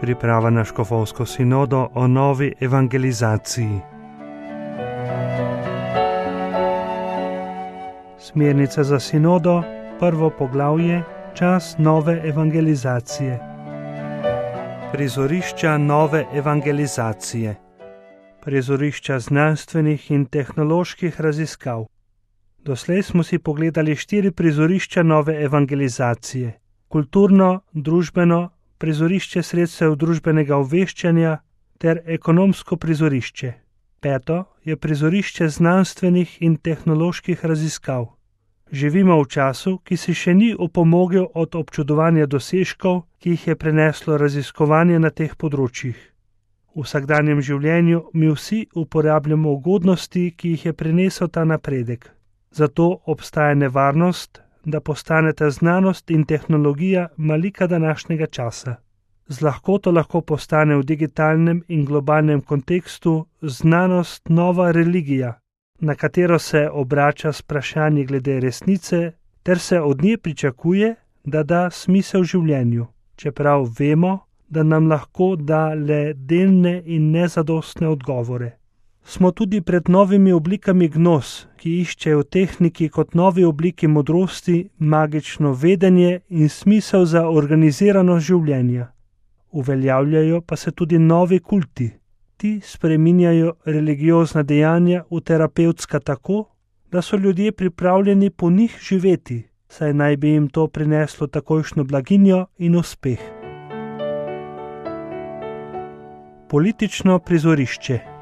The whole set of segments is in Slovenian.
priprava na škofovsko sinodo o novi evangelizaciji. Smernice za sinodo, prvo poglavje, čas nove evangelizacije. Prizorišča nove evangelizacije. Prizorišča znanstvenih in tehnoloških raziskav. Doslej smo si pogledali 4 prizorišča nove evangelizacije. Kulturno, družbeno, prizorišče sredstev družbenega obveščanja ter ekonomsko prizorišče. 5. je prizorišče znanstvenih in tehnoloških raziskav. Živimo v času, ki si še ni opomogel od občudovanja dosežkov, ki jih je prineslo raziskovanje na teh področjih. V vsakdanjem življenju mi vsi uporabljamo ugodnosti, ki jih je prinesel ta napredek. Zato obstaja nevarnost, da postaneta znanost in tehnologija malika današnjega časa. Z lahkoto lahko postane v digitalnem in globalnem kontekstu znanost nova religija, na katero se obrača s vprašanji glede resnice, ter se od nje pričakuje, da da smisel življenju, čeprav vemo, da nam lahko da le delne in nezadostne odgovore. Smo tudi pred novimi oblikami gnoz, ki iščejo v tehniki kot novi obliki modrosti, magično vedenje in smisel za organizirano življenje. Uveljavljajo pa se tudi novi kulti. Ti spreminjajo religiozna dejanja v terapevtska tako, da so ljudje pripravljeni po njih živeti, saj naj bi jim to prineslo takojšnjo blaginjo in uspeh. Politično prizorišče.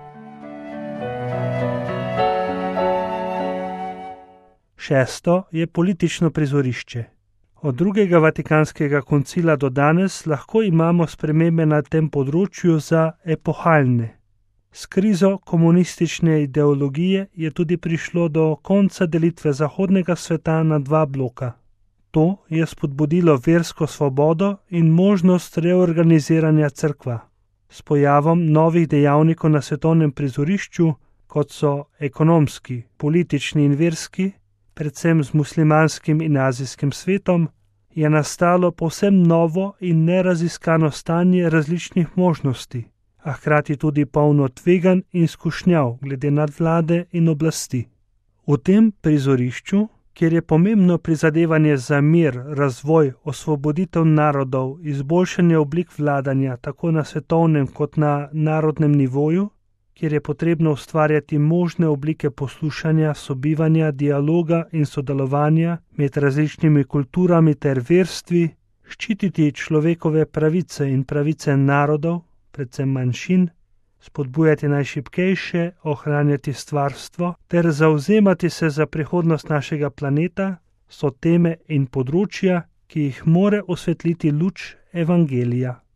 Šesto je politično prizorišče. Od drugega Vatikanskega koncila do danes lahko imamo spremembe na tem področju za epohalne. S krizo komunistične ideologije je tudi prišlo do konca delitve zahodnega sveta na 2 bloka. To je spodbudilo versko svobodo in možnost reorganiziranja cerkva. S pojavom novih dejavnikov na svetovnem prizorišču, kot so ekonomski, politični in verski, predvsem z muslimanskim in azijskim svetom, je nastalo povsem novo in neraziskano stanje različnih možnosti, a hkrati tudi polno tveganj in skušnjav glede nadvlade in oblasti. V tem prizorišču, kjer je pomembno prizadevanje za mir, razvoj, osvoboditev narodov, izboljšanje oblik vladanja tako na svetovnem kot na narodnem nivoju, kjer je potrebno ustvarjati možne oblike poslušanja, sobivanja, dialoga in sodelovanja med različnimi kulturami ter verstvi, ščititi človekove pravice in pravice narodov, predvsem manjšin, spodbujati najšibkejše, ohranjati stvarstvo ter zavzemati se za prihodnost našega planeta, so teme in področja, ki jih more osvetliti luč evangelija.